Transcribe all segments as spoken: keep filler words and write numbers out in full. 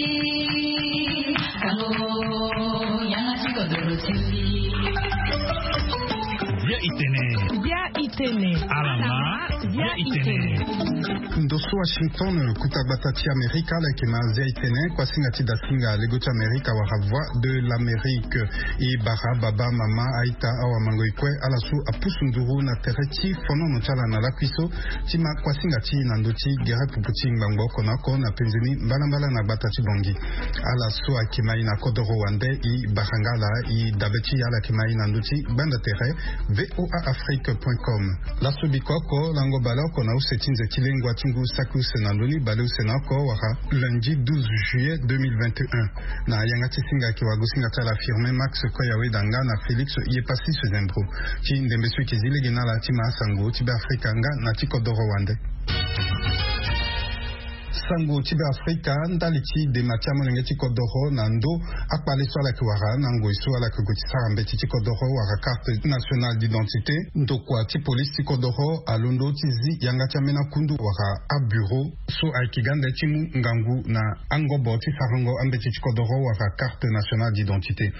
Bia itene. Bia itene. Alama. Bia itene. Ndo so Washington, kuta gbata ti Amerika, ala yeke ma Zia itene, kuasinga ti dasinga lego ti Amerika wala Voix de l'Amérique. E bara baba, mama, aita, awamango, e kue ala so apusu nduru na tere ti fonono ti ala na lakui so ti ma kuasinga ti e na ndö ti gere pupu ti ngbangbo oko na oko na penze ni mbalambala na gbata ti Bangui. Ala so ayeke ma e na kodoro wande, e bara nga ala, e dabe ti e ala yeke ma e na ndö ti gbanda tere V O A Afrique point com. Laso bikoko, lango baleoko na use ti nze ti lengua ti ngu saki use na ndö ni baleuse na oko wala lundi douze juillet deux mille vingt et un. Na yanga ti singa ayeke wagosinga ti ala Firmin Max Koyaweda nga na Félix Yepassis Zembro. Ti ndembe so e yeke zi lege na ala ti ma asango ti Beafrika nga na ti kodoro wande. Sango ti Beafrika, ndali ti dema ti amolenge ti kodoro na ndö akpale so ala yeke wara na ngoi so ala yeke gue ti sara mbeti ti kodoro wala carte nationale d'identité, ndokua ti polisi ti kodoro alondo ti zi yanga ti ambeni akundu wala abureau so ayeke ga nde ti mu ngangu na angobo ti sarango ambeti ti kodoro wala carte nationale d'identité.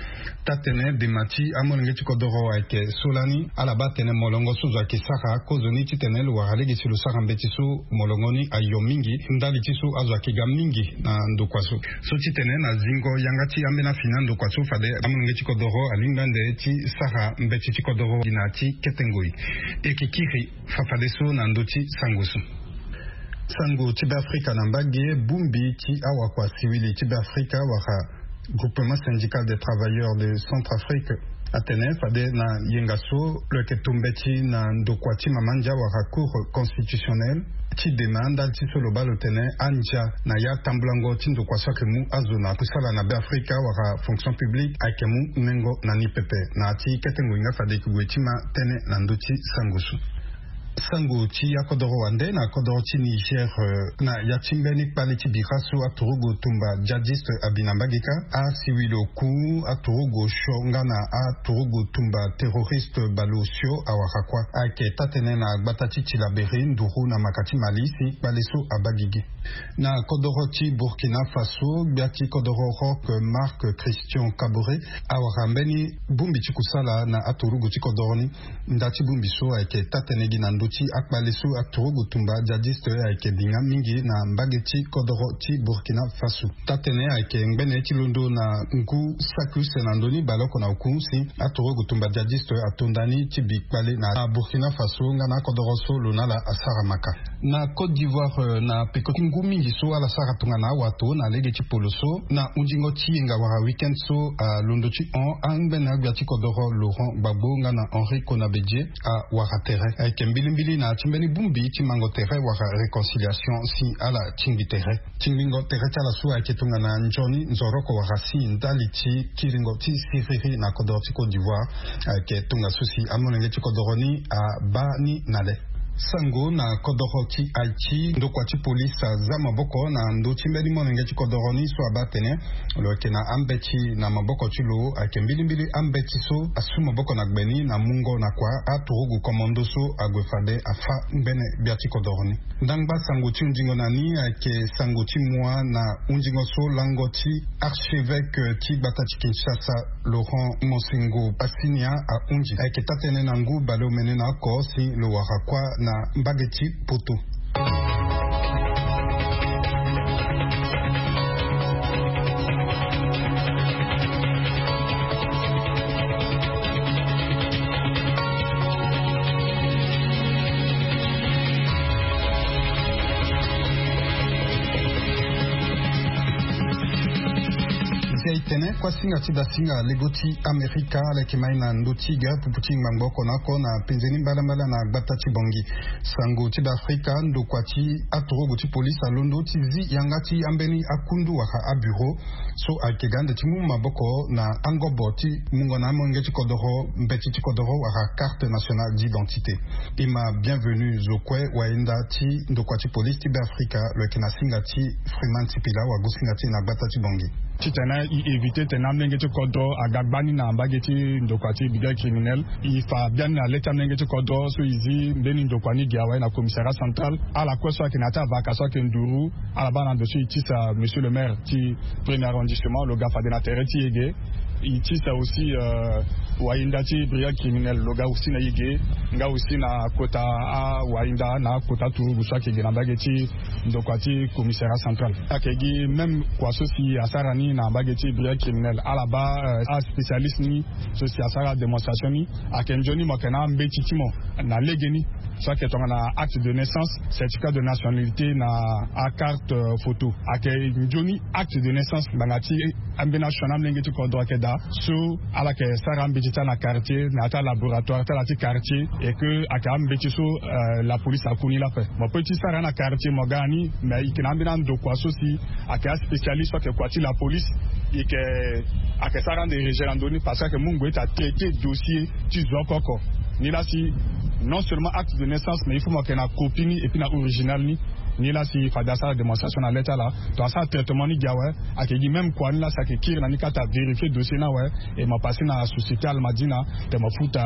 Taa-tënë dema ti amolenge ti kodoro ayeke so lani ala baa atene molongo so zo ayeke sara kozoni titene lo wara lege si lo sara mbeti so molongo ni ayo mingi ndali ti so azo ayeke ga mingi na ndokua so. So titene na zingo yanga ti ambeni afini andokua so fade amolenge ti kodoro alingbi ande ti sara mbeti ti kodoro gi na ya ti kete ngoi. E yeke kiri fafadeso na ndö ti sango so. Sango ti Beafrika na mbage, bongbi ti awakua siwili ti Beafrika wala Groupement Syndical des Travailleurs de Centrafrique atene fade na yenga so lo yeke to mbeti na ndokua ti mama ndia wala Cour constitutionnelle ti dema ndali ti so lo baa lo tene andia na ya tambulango ti ndokua so ayeke mu azo na kusala na Beafrika wala fonction publique ayeke mu nengo na ni pepe. Na ya ti kete ngoi nga fade e yeke gue ti ma tënë na ndö ti sango so. Sango ti akodoro wande na kodoro ti Niger, eh, na ya ti mbeni kpale ti bira so aturugu tumba djihadiste abi na mbage kâ, asiwili oku aturugu osio nga na aturugu tumba terroriste baleosio awara kuâ. Ayeke taa-tënë na gbata ti Tillabéri nduru na maka ti Mali si kpale so abaa gigi. Na kodoro ti Burkina Faso, gbia ti kodoro Roch Marc Christian Kaboré awara mbeni bongbi ti kusala na aturugu ti kodoro ni. Nda ti bongbi so ayeke taa-tënë gi na ndö ti akpale so aturugu tumba djihadiste ayeke bi nga mingi na mbage ti kodoro ti Burkina Faso. Taa-tënë ayeke ngbene ti londo na ngu saki use na ndö ni baleoko na oku si aturugu tumba djihadiste ato nda ni ti bi kpale na Burkina Faso nga na akodoro so lo na ala asara maka. Na Côte d'Ivoire, eh, na peko ti ngu mingi so ala sara tongana awato na lege ti polo so, na hunzingo ti yenga wala week-end so alondo ti hon angbene agbia ti kodoro Laurent Gbagbo nga na Henri Konabe-Dié awara tere. Ayeke mbilimbili na ya ti mbeni bongbi ti mango tere wala réconciliation si ala tingbi tere. Tingbingo tere ti ala so ayeke tongana nzoni nzoroko wala si ndali ti kiringo ti siriri na kodoro ti Côte d'Ivoire. Ayeke tongaso si amolenge ti kodoro ni abaa ni na le. Sango na kodoro ti Haïti, ndokua ti polisi aza maboko na ndö ti mbeni molenge ti kodoro ni so abaa atene lo yeke na ambeti na maboko ti lo. Ayeke mbilimbili ambeti so asu maboko na gbe ni na mungo na kua aturugu commando so ague fade afâ ngbene gbia ti kodoro ni. Ndangba sango ti hunzingo na ni ayeke sango ti mua na hunzingo so lango ti archevêque ti gbata ti Kinshasa, Laurent Monsengwo Pasinia ahunzi. Ayeke taa-tënë na ngu baleomene na oko si lo wara kuâ na mbage ti Poto. Nzia itene, kuasinga ti dasinga lego ti Amerika ala yeke ma e na ndö ti gere pupu ti ngbangbo oko na oko na penze ni mbalambala na gbata ti Bangui. Sango ti Beafrika, ndokua ti aturugu ti polisi alondo ti zi yanga ti ambeni akundu wala abureau so ayeke ga ande ti mu maboko na angobo ti mungo na amolenge ti kodoro mbeti ti kodoro wala carte nationale d'identité. E ma Bienvenu Zokwe wayenda ti ndokua ti polisi ti Beafrika, lo yeke na singa ti Freeman Sipila wagosinga ti e na gbata ti Bangui. Titene Éviter tene amolenge ti kodro aga gbani na mbage ti ndokua ti brigade criminel. E fa biani na le ti amolenge ti kodro so e zi mbeni ndokua ni gi awe na commissariat central. Ala kue so ayeke na ya ti avaka so ayeke nduru, ala baa na ndo so e tisa monsieur le maire ti premier arrondissement lo ga fade na tere ti e ge. E tisa aussi wayinda ti brigade criminel lo ga aussi na e ge, nga aussi na kota awayinda na akota turugu so ayeke ge na mbage ti ndokua ti commissariat central. Ayeke gi même kua so si asara ni na mbage ti brigade criminel, ala baa aspécialiste ni so si asara démonstration ni. Ayeke nzoni mo yeke na ambeti ti mo na legeni so ayeke tongana acte de naissance, certificat de nationalité na acarte photo. Ayeke nzoni acte de naissance ngbanga ti ambeni asioni amolenge ti kodro ayeke daa. So ala yeke sara ambeti ti ala na quartier na ya ti alaboratoire ti ala ti quartier, et que ayeke ambeti so la police aku ni laa ape. Mo pe ti sara na quartier mo ga na ni, mais e yeke na ambeni andokua so si ayeke aspécialiste so ayeke kua ti la police. E yeke ayeke sara ande réger na ndö ni parce que ayeke mu ngoi ti atraiter dossier ti zo oko oko. Ni laa si non seulement acte de naissance, mais il faut mo yeke na copie ni et puis na original ni. Ni laa si fade asara démonstration na le ti ala, to asara traitement ni gi awe. Ayeke gi même kua ni laa si ayeke kiri na ni kata vérifier dossier ni awe. Et mo pase na société almadina, te mo futa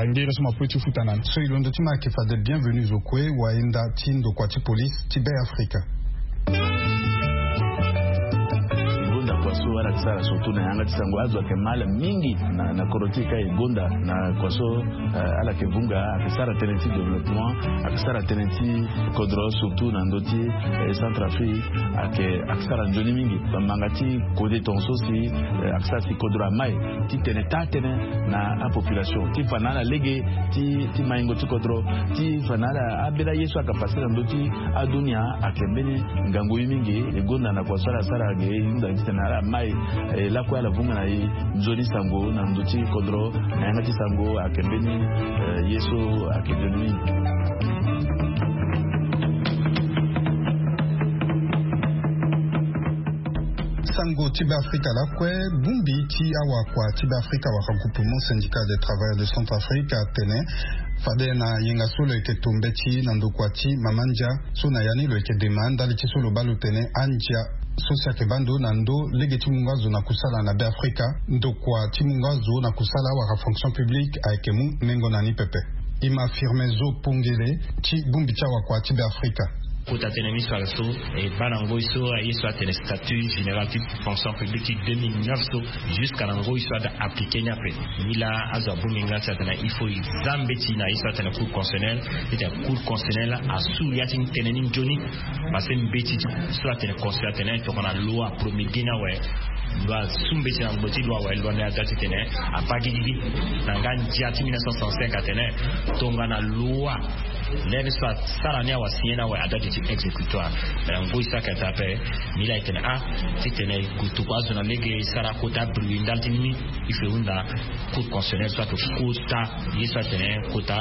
ngere so mo pe ti futa na ni. So e londo ti mo ayeke fade bienvenu zo kue, wayinda ti ndokua ti police ti be afrika. Gonda kua so ala yeke sara surtout na yanga ti sango azo ayeke ma ala mingi na kodro ti e ka e gonda na kua so ala yeke vunga ayeke sara tënë ti développement, ayeke sara tënë ti kodro surtout na ndö ti centrafrique. Ayeke ayeke sara nzoni mingi bamanga ti kode tonga so si ayeke sara si kodro amai ti tene taa tënë na apopulation ti fa na ala lege ti maingo ti kodro ti fa na ala ambeni aye so ayeke pase na ndö ti adunia. Ayeke mbeni ngangu ye mingi e gonda na kua so ala sara ge e hunda titene ala mai e lakue ala vunga na e nzoni sango na ndö ti kodro na yanga ti sango ayeke mbeni ye so ayeke nzoni mingi. Sango ti be afrika lakue. Bongbi ti awakua ti be afrika wala groupement syndical des travailleurs de centrafrique atene fade na yenga so lo yeke to mbeti na ndokua ti mama ndia so na ya ni lo yeke dema ndali ti so lo baa lo tene andia so si ayeke baa ndo na ndo lege ti mungo azo na kusala na be afrika. Ndokua ti mungo azo na kusala wala fonction publique ayeke mu nengo na ni pepe. E ma firme zo pongele ti bongbi ti awakua ti be afrika. Kota tënë ni so ala so e baa na ngoi so aye so atene statut général ti fonction publique ti deux mille neuf so jusqu'à na ngoi so aga appliquer ni ape. Ni laa azo abongbi nga si atene il faut e za mbeti na ye so atene cour constitutionnel. Titene cour constitutionnel asu ya ti tënë ni nzoni. Parce que mbeti so atene constitutionnel atene tongana loi promulguer ni awe, loi asu mbeti na ngbo ti loi awe, loi ni aza titene abaa gigigi. Na nga ndia ti mille neuf cent soixante-cinq atene tongana loi lere so asara ni awe asigner ni awe adate ti exécutoire. Mais na ngoi so ayeke ataa ape ni laa e tene ah titene e gue tokua azo na lege e sara kota bruit ndali ti ni. E fe hunda cour constitutionnel so ayeke kota ye so atene kota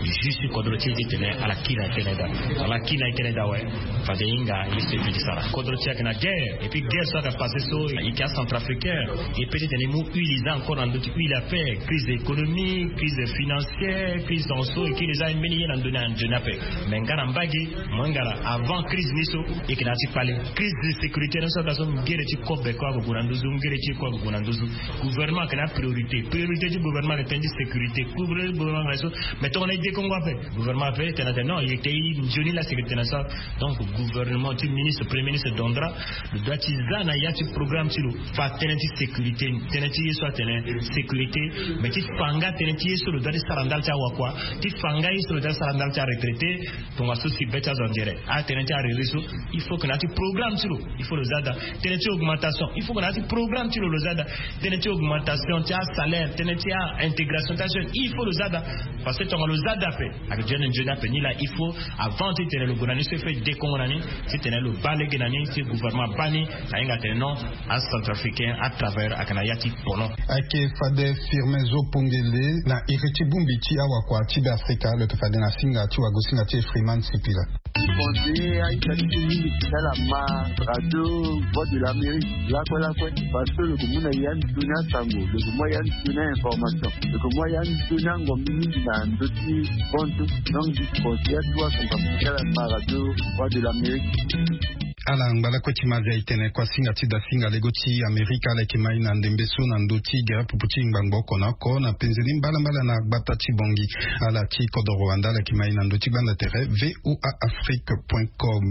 juge ti kodro ti e titene ala kiri na e tënë daa. Ala kiri na e tënë daa awe. Fade e hinga ye so e pe ti sara kodro ti e ayeke na guerre. Et puis guerre so ayeke passe so e yeke acentrafricain. E pe titene e mu huile e za encore na ndö ti huile ape. Crise économique, crise financière, crise dans so e kiri e za mbeni ye na ndö ni anzoni ape. Mais nga na mbage mo hinga laa avant crise ni so e yeke na ya ti kpale. Crise de sécurité ni so aga so ngere ti kobe kue ague gue na nduzu, ngere ti e kue ague gue na nduzu. Gouvernement ayeke na apriorité. Priorité ti gouvernement ayeke tënë ti sécurité. Priorité ti gouvernement ayeke so. Mais tongana e dekongo ape gouvernement ape e tene atene non e yeke te e nzoni la sécurité na so. Donc gouvernement ti ministre premier ministre dondra lo doit ti za na ya ti programme ti lo fa tënë ti sécurité ni tënë ti ye so atene sécurité. Mais ti fa nga tënë ti ye so lo doit ti sara ndali ti awakua, ti fa nga ye so lo doit ti sara ndali ti aretraité. Tongaso si be ti azo anzere atënë ti arere so il faut que na ya ti programme ti lo il faut lo za daa. Tënë ti augmentation il faut que na ya ti programme ti lo lo za daa. Tënë ti augmentation ti asalaire, tënë ti aintégration ti ajeune il faut lo za daa. Parce que tonga lo za daa ape ayeke jeune nzoni ape ni laa il faut avant titene lo gue na ni so il faut e dekongo na ni titene lo baa lege na ni si gouvernement abaa ni. Ahinga atene non acentrafricain atravailleur ayeke na ya ti pono. Ayeke fade firme zo pongele na iri ti bongbi ti awakua ti be afrika lo yeke fade na singa ti wagosinga ti efriman sipila. Conseiller aita ti so mingi ti sala ma radio voix de l'amérique lakue lakue. Parce que lo yeke mu na ya nzoni asango, lo yeke mu ya nzoni ainformation, lo yeke mu ya nzoni angombi mingi na ndö ti kontu. Donc conseiller atuwa son kapu ti sala ma radio voix de l'amérique. Ala ngbalakue ti mazi aye tene kuasinga ti dasinga lego ti Amerika ala yeke mai na ndembe so na ndö ti gere pupu ti ngbangbo oko na oko na penze ni mbalambala na gbata ti Bongi. Ala ti kodoro wande ala yeke mai na ndö ti gbanda tere V O A Afrique point com.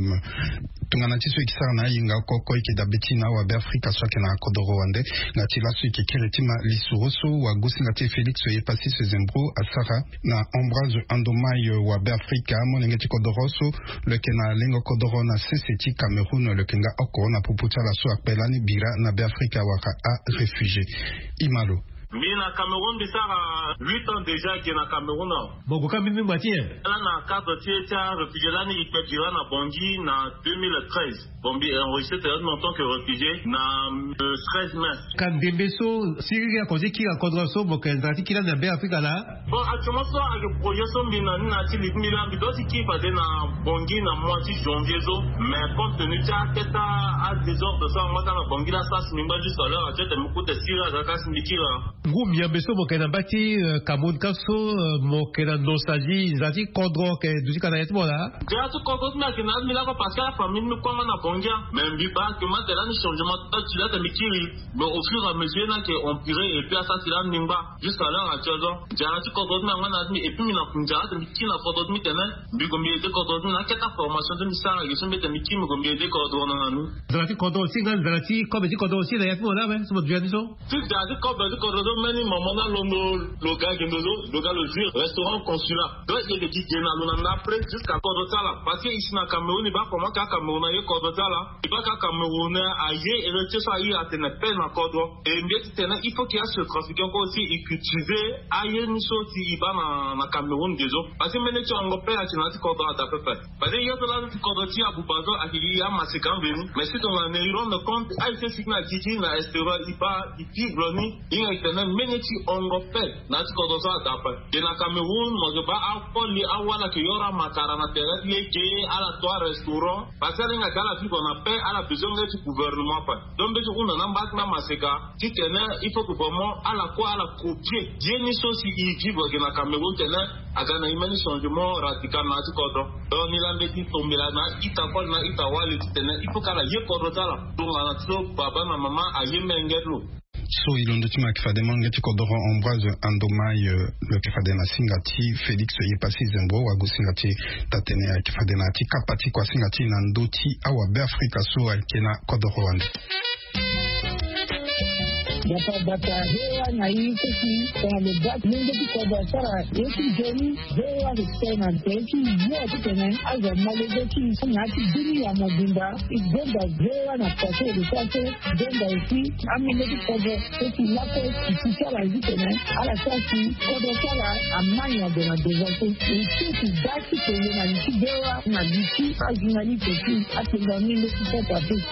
Tongana ti so e ke sara na ayenga oko oko e ke dabe ti na awabe Afrika so ayeke na kodoro wande. Nga ti laso e ke kiri ti ma lisoro so wagosinga ti e Félix Oyepasis Zembro asara na Ambroise Andomai, wabe Afrika, molenge ti kodoro so lo yeke na lengo kodoro na sese ti Cameroun, lo yeke nga oko na popo ti ala so akpe lani bira na be Afrika wala aréfugié. Imalo. Mbi na Cameroun mbi sara huit ans déjà ake na Cameroun awe. Mo gue ka mbimbi ngba ti nyen? Ala na cadre ti e ti aréfugié lani e kpe bira na Bangui na deux mille treize. Bon, mbi enregistré tene en tant que réfugié na le treize mai. Ka ndembe so siriri ako ti kiri na kodro so mo yeke nzara ti kiri lani na be Afrika laa? Bon, actuellement so ayeke projet so mbi na ni na ya ti li ti mbi laa, mbi doit ti kiri fade na Bangui na mois ti janvier so. Mais compte tenu ti akete adésordre so angba ti ala na Bangui laa, sara si mbi ngba juste à l'heure actuelle tene mbi kute siriri aza ka si mbi kiri laa. Ngu miambe so mo yeke na mbage ti, euh, Cameroun ka so, euh, mo yeke na nosa ti nzara ti kodro ayeke duti ka na ya ti mo laa? Nzara ti kodro ti mbi ayeke na ya ti mbi lako parce que afamille ti mbi kue angba na Bangui. Mais mbi baa ke mbi atene lani changement ti ati laa tene mbi kiri. Mais au fur et à mesure ni ayeke empiré et puis asara si lani mbi ngba. Juste à l'heure actuelle so nzara ti kodro ti mbi angba na ya ti mbi et puis mbi na nzara tene mbi kiri na kodro ti mbi tene mbi gue mbi aidé kodro ti mbi na akete aformation ti mbi sara ge so mbi tene mbi kiri mbi gue mbi aidé kodro na ni. Nzara ti kodro aussi nga nzara ti kobe ti kodro aussi na ya ti mo laa awe so mo duti ya ni so? Ti da ti kobe ti kodro so mbeni mama ni alondo lo ga gendo so lo ga lo zwi restaurant consulat. Donc e yeke gi ge na lo na ndapre jusqu'à kodro ti ala. Parce que e si na Cameroun e baa comment ka Cameroun aye kodro ti ala. E baa ka Cameroun aye héritier so aye atene paix na kodro. E mbi ye ti tene il faut que achetrafiquant kue aussi e cultiver aye ni so si e baa na, na Cameroun ge so. Parce que mbeni ti hongo paix ayeke na ya ti kodro ada pepe. Parce que ye so laa ti kodro ti Abuba so ayeke gi amaseka mveni. Mais si tongana e rendre compte aye so e sigi na gigi na extérieur e baa e vivre ni. Hinga e tene mbeni ti hongo paix na ya ti kodro so ada ape. Ge na Cameroun mo yeke baa akoli awala ayeke yoro amakara na tere ti ye ge ala to arestaurant. Parce que ala hinga ge ala vivre na paix ala besoin nge ti gouvernement ape. Donc mbeti hunda na mba ti mba maseka titene il faut que vraiment ala kue ala copier ye ni so si e vivre ge na Cameroun titene aga na e mbeni changement radical na ya ti kodro. Donc ni laa mbeti tombela na ita koli na ita wali titene il faut que ala ye kodro ti ala tongana so baba na mama aye menge ti lo. So e londo ti mo ayeke fade molenge ti kodoro Ambroise Andomai, euh, lo yeke fade na singa ti Félix Yepassi Zembro wagosinga ti e taa-tënë ayeke fade na ya ti kapa ti kuasinga ti e na ndö ti awabe Afrika so ayeke na kodoro wande. Bata bata, V O A na e so si tongana lo baa ti lenge ti kodro asara ye ti nzoni, V O A ayeke tene na tere ti yo titene azo amolenge ti e na ya ti bini ya mobimba. E gonda V O A na pase e lo sara so. Donda aussi amolenge ti kodro so si lakue e si ti ala zi tene ala sara si kodro ti ala ama nyon gue na devant so. E si e si da ti tene na li ti V O A na li ti ajournaliste ti apenga ni nde ti Centrafrique.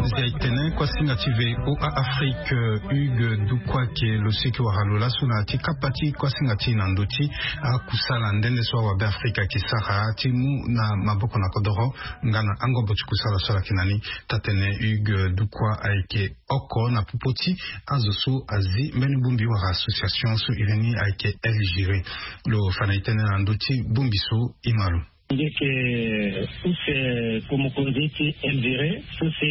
Zi aye tene kuasinga ti V O A Afrique, euh, Hugues Dukwa ke lo seki wara lo laso na ya ti kapa ti kuasinga ti e na ndö ti akusala nde nde so awabe Afrika ayeke sara ti mu na maboko na kodoro nga na angobo ti kusala so ala yeke na ni. Taa-tënë Hugues Dukwa ayeke oko na popo ti azo so azi mbeni bongbi wala association so iri ni ayeke El Giré. Lo fa na e tënë na ndö ti bongbi so e ma lo. Nge yeke use ko mokonzi ti El Giré so si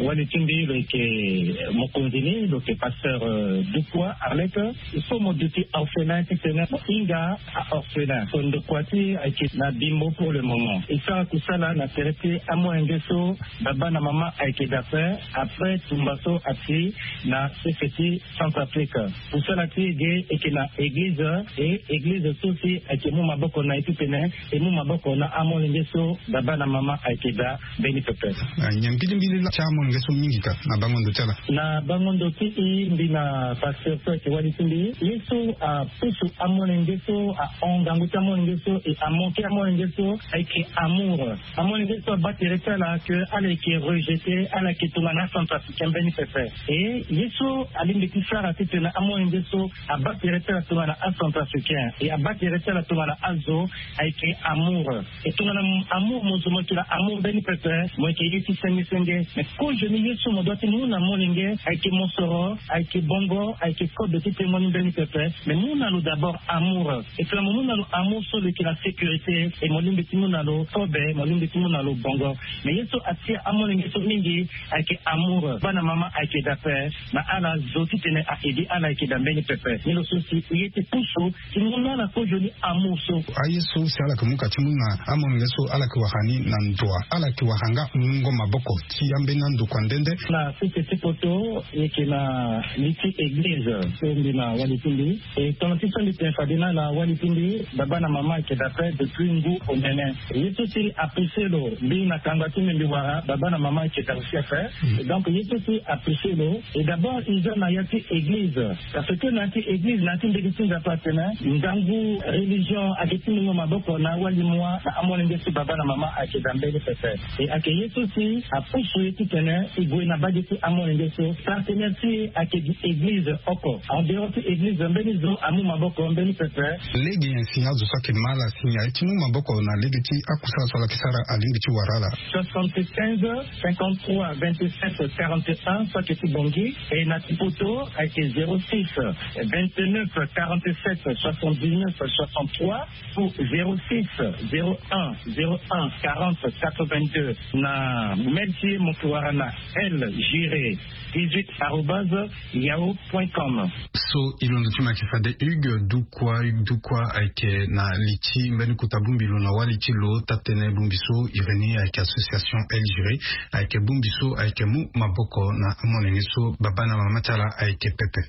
wali ti mbi lo yeke mokonzi ni lo yeke pasteur, euh, Dukwa Arlette. So mo duti orphelin titene mo hinga a-orphelin so ndokua ti e ayeke na Bimbo pour le moment. E sara kusala na tere ti amolenge so baba na mama ayeke daa ape après tumba so asi na sese ti Centrafrique. Kusala ti e ge e yeke na eglize, e eglize so si ayeke mu maboko na e titene e mu maboko na amolenge so baba na mama ayeke daa mbeni pepe. Ah, nyen mbilimbili laa ti amolenge so mingi ka na bango ndo ti ala? Na bango ndo ti e, mbi na pasteur so ayeke wali ti mbi, ye so apusu amolenge so ahon ngangu ti amolenge so e amanke amolenge so ayeke amour. Amolenge so abaa tere ti ala ke ala yeke rejeté, ala yeke tongana acentrafricain mbeni pepe. E ye so alingbi ti sara titene amolenge so abaa tere ti ala tongana acentrafricain e abaa tere ti ala tongana azo ayeke amour. E tongana amour mo So mo yeke na amour mbeni pepe, mo yeke ye ti senge senge. Mais kozoni ye so mo doit ti mu na molenge ayeke mosoro, ayeke bongo, ayeke kobe ti tengo ni mbeni pepe. Mais mu na lo d'abord amour. Et puis mo mu na lo amour so lo yeke na sécurité. Et mo lingbi ti mu na lo kobe, mo lingbi ti mu na lo bongo. Mais ye so atia amolenge so mingi ayeke amour. Bana mama ayeke dape. Na ala zo titene a-edi ala ayeke da mbeni pepe. Ni lo so si ye ti pusu ti mu na ala kozoni amour so. Aye so si ala yeke mu ka ti mu na amolenge so ala yeke wara ni na ndo wa, ala yeke wara nga mungo maboko ti ambeni andokua nde nde. Na sese ti poto, e yeke na li ti église so mbi na wali ti mbi. E tongana ti so mbi tene fade na ala wali ti mbi, baba na mama ayeke dape depuis ngu omene. Ye so si apousse lo, mbi na kangba ti mbi mbi wara baba na mama ayeke da aussi ape. Donc ye so si apousse lo, e d'abord e za na ya ti église. Parce que na ya ti église, na ya ti mbeti ti Nzapa atene ngangu religion ayeke ti mungo maboko na awali mua na amolenge so baba na mama ayeke da mbeni pepe. E ayeke ye so si apusu ye titene e gue na mbage ti amolenge so. Partenaire ti e ayeke gi église oko. En dehors ti église, mbeni zo amu maboko mbeni pepe. Lege nyen si azo so ayeke ma ala si nyen aye ti mu maboko na lege ti akusala so ala yeke sara, alingbi ti wara ala? Soixante-quinze, cinquante-trois, vingt-sept, quarante et un, so ayeke ti Bangui. Et na ti poto ayeke zéro six, vingt-neuf, quarante-sept, soixante-dix-neuf, soixante-trois, ou zéro six, zéro un, zéro un, quarante, quatre-vingt-deux. Na mail ti e mo yeke wara na L Giré dix-huit arobase yahoo point com. So e londo ti mo ayeke fade Hugues Dukwa. Hugues Dukwa ayeke na li ti mbeni kota bongbi lo na wali ti lo. Taa-tënë bongbi so iri ni ayeke association L Giré, ayeke bongbi so ayeke mu maboko na amolenge so baba na mama ti ala ayeke pepe.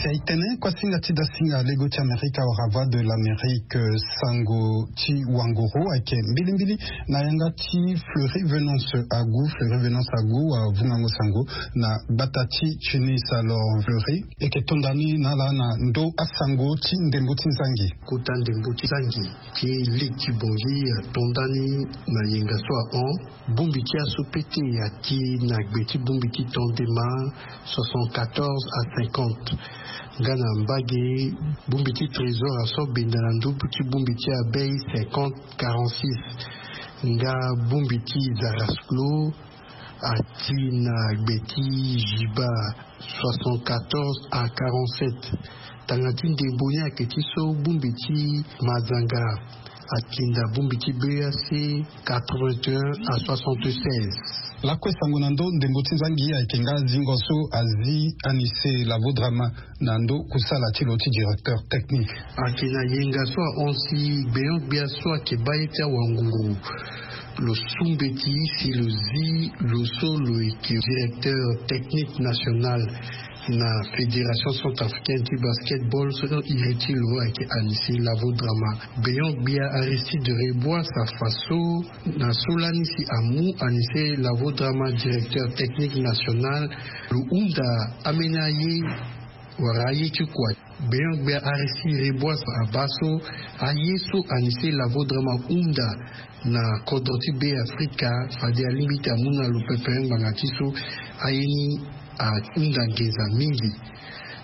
Si aye tene kua singa ti da singa lego ti Amerika wala Voix de l'Amérique, sango ti wanguru ayeke mbilimbili na yanga ti Fleury Venance Agu. Fleury Venance Agu avungango sango na gbata ti Tunis. Alors Fleury, e yeke tonda ni na ala na ndo asango ti ndembo ti nzangi. Kota ndembo ti nzangi ti lege ti Bangui atonda ni na yenga so ahon. Bongbi ti aso pete ake na gbe ti bongbi ti tondema soixante-quatorze à cinquante. Nga na mbage, bongbi ti trésor aso benda na ndö ti bongbi ti abei cinquante quarante-six. Nga bongbi ti zaraslo ake na gbe ti jiba soixante-quatorze à quarante-sept. Tanga ti ndembo ni ayeke ti so bongbi ti mazanga atinda bongbi ti B A C quatre-vingt-un à soixante-seize. Lakue sango na ndo ndembo ti nzangi ayeke nga zingo so azi Anissé Lavodrama na ndo kusala ti lo ti directeur technique. Ayeke na yenga so ahon si gbenyo-gbia so ayeke baa ye ti awanguru lo su mbeti si lo zi lo so lo yeke directeur technique national na Fédération Centrafricaine ti Basketball so iri ti lo ayeke Anissé Lavodrama. Gbenyo-gbia Aristide Rebois afa so na so lani si amu Anissé Lavodrama directeur technique national, lo hunda ambeni aye wala aye ti kua. Gbenyo-gbia Aristide Rebois abaa so aye so Anissé Lavodrama hunda na kodro ti Be Afrika, fade alingbi ti amu na lo pepe ngbanga ti so aye ni ahunda nginza mingi.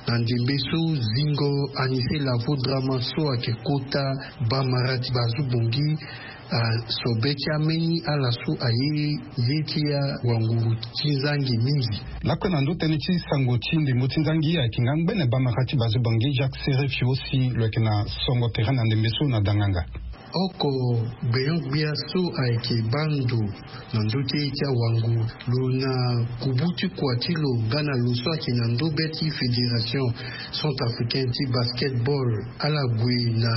Na ndembe so zingo Anissé Lavodrama so ayeke kota bamara ti Bazoue Bangui asobe ti ambeni ala so aye ye ti awanguru ti nzangi mingi. Lakue na ndo tënë ti sango ti ndembo ti nzangi ayeke nga ngbene bamara ti Bazoue Bangui Jacques Serefio si lo yeke na songo tere na ndembe so na danganga. Oko gbenyo-gbia so ayeke baa ndo na ndö ti ye ti awanguru lo na kubu ti kua ti lo nga na lo so ayeke na ndö be ti Fédération Centrafricaine ti Basketball, ala gue na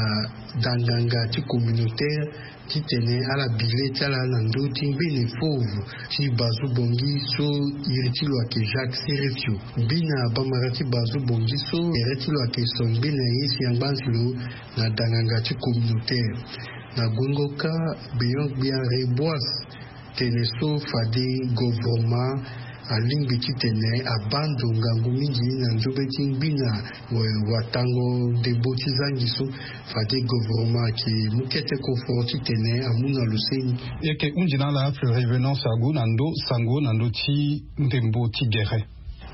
danganga ti communautaire titene ala bi le ti ala na ndö ti ngbene fauve ti Bazoue Bangui so iri ti lo ayeke Jacques Serefio. Mbi na bamara ti Bazoue Bangui so tere ti lo ayeke so ngbene ye si angba ti lo na danganga ti communautaire. Na guengo kâ, gbenyo-gbia Rebois Tene so fade govoroma alingbi titene abando ngangu mingi na nzobe ti ngbina watango ndembo ti zangi so. Fade govoroma ake mu kete koforo titene amu na loseni. Eke hundi na ala Fleury Venance Agu na ndo sango na ndo ti ndembo ti gere.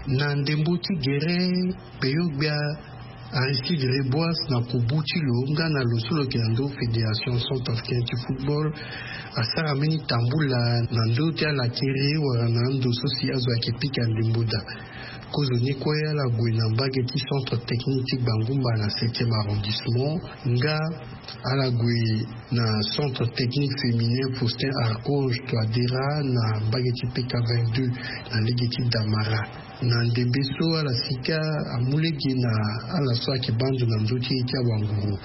Na ndembo ti gere, peyo gbia Aristide Reboise na kubu ti lo nga na lo so lo yeke na ndo fédération centrafricaine ti football asara mbeni tambula na ndo ti ala kere wala na ndo so si azo ayeke pika ndembo daa. Kozo ni kue ala gue na mbage ti centre technique ti Gbangumba na septième arrondissement nga ala gue na centre technique féminin Faustin Archange Touadéra na mbage ti P K vingt-deux na lege ti Damara. Na ndembe so ala sika amu lege na ala so ayeke baa ndo na ndö ti ye ti awanguru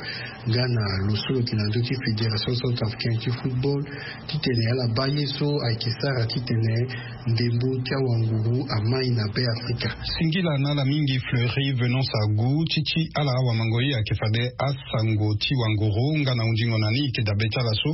nga na lo so lo yeke na ndö ti fédération centrafricaine ti football titene ala baa ye so ayeke sara titene ndembo ti awanguru amai na Be Afrika. Singila na ala mingi Fleury Venance Agu ti ti ala awamango ye ayeke fade asango ti wanguru nga na hundingo na ni eke dabe ti ala so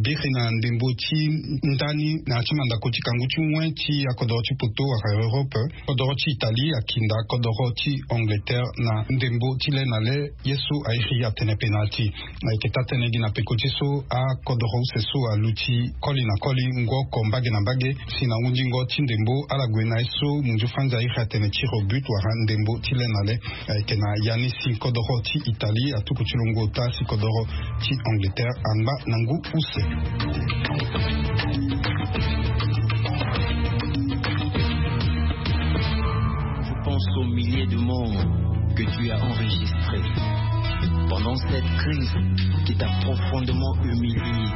biri na ndembo ti ndani na ya ti mandako ti kangu ti wen ti akodoro ti poto wala Europe. Kodoro ti Italie akinda kodoro ti Angleterre na ndembo ti le na le. Ye so airi atene penalti. Ayeke taa-tënë gi na peko ti so akodoro use so aluti koli na koli ngoko mbage na mbage. Si na hundingo ti ndembo ala gue na ye so munzu franzi airi atene tir au but wala ndembo ti le na le. Ayeke na ya ni si kodoro ti Italie atuku ti lo ngu ota si kodoro ti Angleterre angba na ngu use. Je pense aux milliers de morts que tu as enregistrés pendant cette crise qui t'a profondément humilié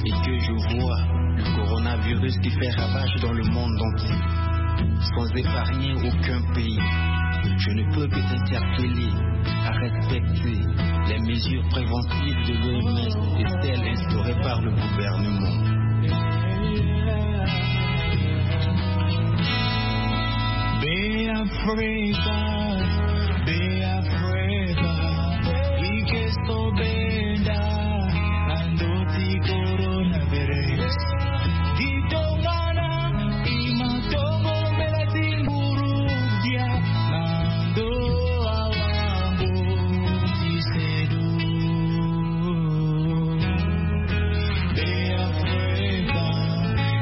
et que je vois le coronavirus qui fait ravage dans le monde entier, sans épargner aucun pays. Je ne peux que t'interpeller à respecter les mesures préventives de l'O M S et celles instaurées par le gouvernement. Be Africa, Be Africa, ike so benda na ndö ti coronavirus. Di tongana i ma tongo mbela ti nguru dia na ndö awango ti sedu. Be Afrika,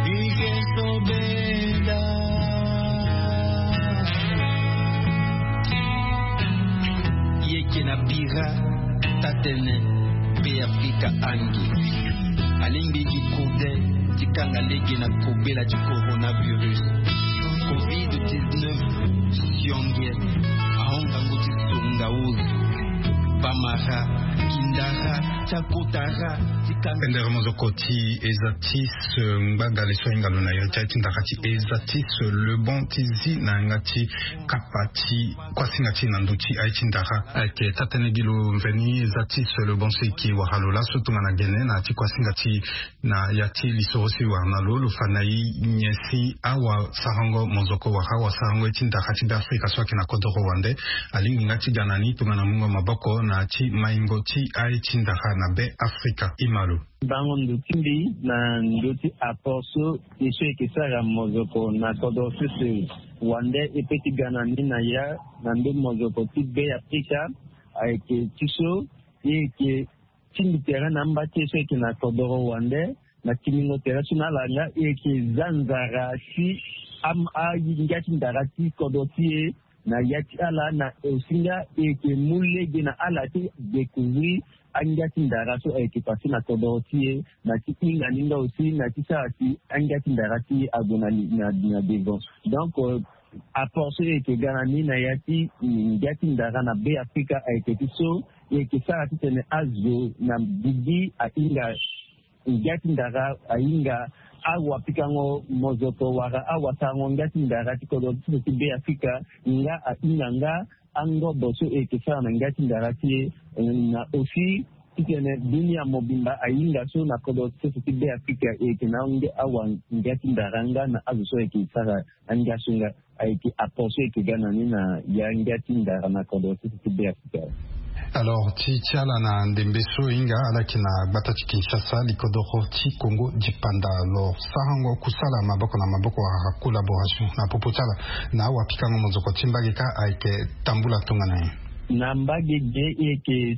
ike so benda. Ye ke na bira tatene Be Afrika angi. Alingbi gi kode ti kanga lege na kobela ti coronavirus. Covid dix-neuf sionge ahon ngangu ti songa uru, bamara, kindara, ti akotara, ti kanga. Pendere mozoko ti eza ti se ngbagale so ahinga lo na iri ti aye ti ndara ti eza ti se lebon ti zi na yanga ti kapa ti kuasinga ti na ndö ti aye ti ndara. Ayeke taa-tënë gi lo mveni eza ti se lebon so e ke wara lo laso tongana gene na ya ti kuasinga ti na ya ti lisoro si wara na lo, lo fa na e nyen si awasarango mozoko wala awasarango ye ti ndara ti Be Afrika so ayeke na kodoro wande alingbi nga ti ga na ni tongana mungo maboko na ya ti maingo ti aye ti ndara na Be Afrika. Ima lo. Bango ndo ti mbi na ndö ti apport so ye so e yeke sara mozoko na kodoro sese wande e pe ti ga na ni na ya na ndö mozoko ti Be Afrika ayeke ti so ye yeke tingbi tere na amba ti e so e yeke na kodoro wande na timbingo tere so na ala nga e yeke za nzara ti am- angia ti ndara ti kodro ti e na ya ti ala na osi nga e yeke mu lege na ala ti découvrir angia ti ndara so ayeke passé na kodro ti e na ti hinga ni nga osi na ti sara si angia ti ndara ti e ague na li- na na devant. Donc euh, apport so e yeke ga na ni na ya ti ngia ti ndara na Be Afrika ayeke ti so e yeke sara titene azo na gigi ahinga ngia ti ndara ahinga awapikango mozoko wala awasarango ngia ti ndara ti kodro ti so ti Be Afrika nga ahinga nga angobo so e yeke sara na ngia ti ndara ti e na osi titene dunia mobimba ahinga so na kodro ti so ti Be Afrika e yeke na ange awa ngia ti ndara nga na azo so e yeke sara angia so nga. Ayeke apport so e yeke ga na ni na ya ngia ti ndara na kodro ti so ti Be Afrika. Alors ti ti ala na ndembe so e hinga ala yeke na gbata ti Kinshasa, likodoro ti Congo dipanda. Alors sarango kusala maboko na maboko wala collaboration na popo ti ala na awapikango mozoko ti mbage kâ ayeke tambula tongana nyen? Na mbage ge e yeke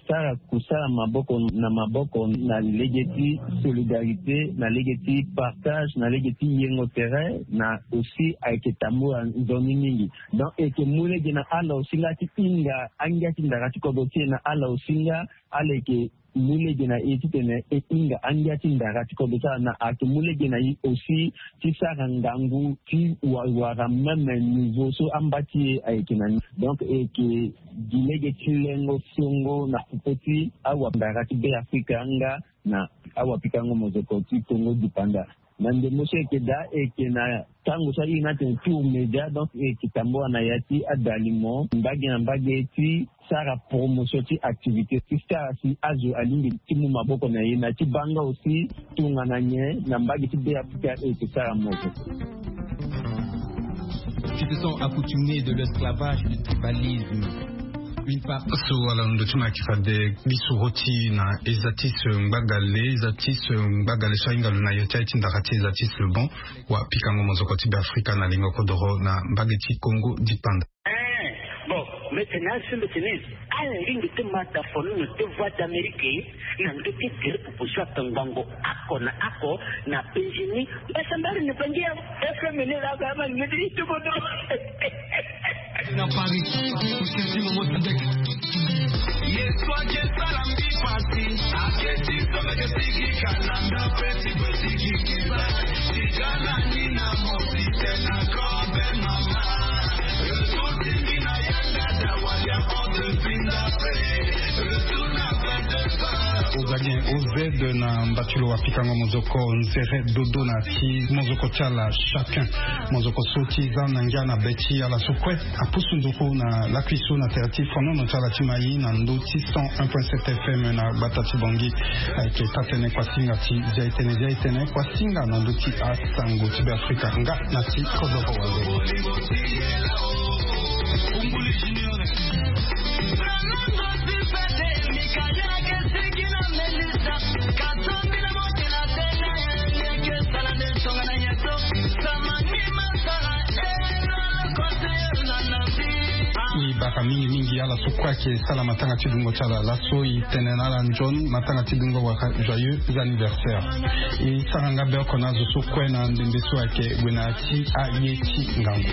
sara kusala maboko na maboko na lege ti solidarité, na lege ti partage, na lege ti yengo tere, na aussi ayeke tambula nzoni mingi. Donc e yeke mu lege na ala aussi nga ti hinga angia ti ndara ti kodro ti e, na ala aussi nga ala yeke mu lege na e titene e hinga angia ti ndara ti kodro ti ala, na ayeke mu lege na e aussi ti sara ngangu ti wa- wara même niveau so amba ti e ayeke na ni. Donc e yeke gi lege ti lengo songo na popo ti awandara ti Beafrika nga na awapikango mozoko ti Congo dipanda. Na ndembe so e yeke daa, e yeke na tango so a iri ni atene tour média, donc e yeke tambula na ya ti adalimo mbage na mbage ti sara promotion ti activité ti sara si azo alingbi ti mu maboko na ye na ti baa nga aussi tongana nyen na mbage ti Beafrika e yeke sara mozoko. Qui se sont accoutumés de l'esclavage, du tribalisme. Une part. So wala ndo ti ma yeke fade bisu roti na eza ti se ngbagale, eza ti se ngbagale so ahinga lo na yo ti aye ti ndara ti eza ti se bon. Wapikango mozoko ti Beafrika na lingo kodoro na mbage ti Congo dipanda. Eh, bon, mete na asembe tene ala lingbi ti ma da fonono ti Voix d'Amérique na ndö ti gere pupu so atongbango oko na oko na Benjini. Mbasambari ni bangi ya F M ni la ba ma ni ti bodo. Na Paris, Mousquetin, Momo Sadek. Yesu ake sala mbi pasi, ake ti so meke sigi kananda pe ti pe sigi kiza. Tigana ni na mosi tena kobe mama. Retour ti mbi na yanga da walia on the pinda pe. Retour na vingt-deux heures. Ozali O Z na mbatulu wapikango mozoko nzere dodo na ti mozoko ti ala chacun. Mozoko so ti za na ngia na be ti ala so kue. Apusu nzoko na lakui so na tere ti fonono ti ala ti mai na ndö ti cent un point sept F M na gbata ti Bangui. Ayeke taa-tënë kuasinga ti zia-e-tënë, zia-e-tënë kuasinga na ndö ti asango ti Beafrika nga na ti kodoro wande. E bara mingi mingi ala so kue ayeke sala matanga ti dungo ti ala laso, e tene na ala nzoni matanga ti dungo wala joyeux anniversaire. E sara nga be oko na azo so kue na ndembe so ayeke gue na ya ti aye ti ngangu.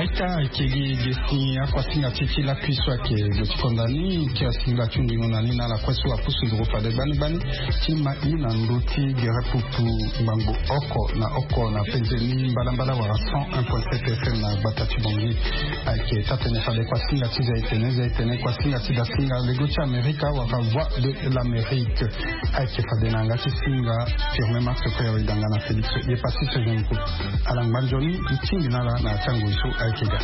Aita ayeke gi ge si akuasinga ti ti lakui so ayeke gue ti konda ni ti asingila ti hundingo na ni na ala kue so apusu nduru fade gbani gbani ti ma i na ndö ti gere pupu ngbangbo oko na oko na penze ni mbalambala wala cent un point sept F M na gbata ti Bangui. Ayeke taa-tënë fade kuasinga ti zia-e-tënë, zia-e-tënë kuasinga ti dasinga lego ti Amerika wala Voix de l'Amérique. Ayeke fade na yanga ti singa Firmin Marc Koyawidanga na Félix Yepassis Jean Paul. Ala ngba nzoni, e tingbi na ala na ya ti angoi so ayeke ga.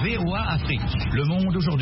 V O A Afrique, le monde aujourd'hui.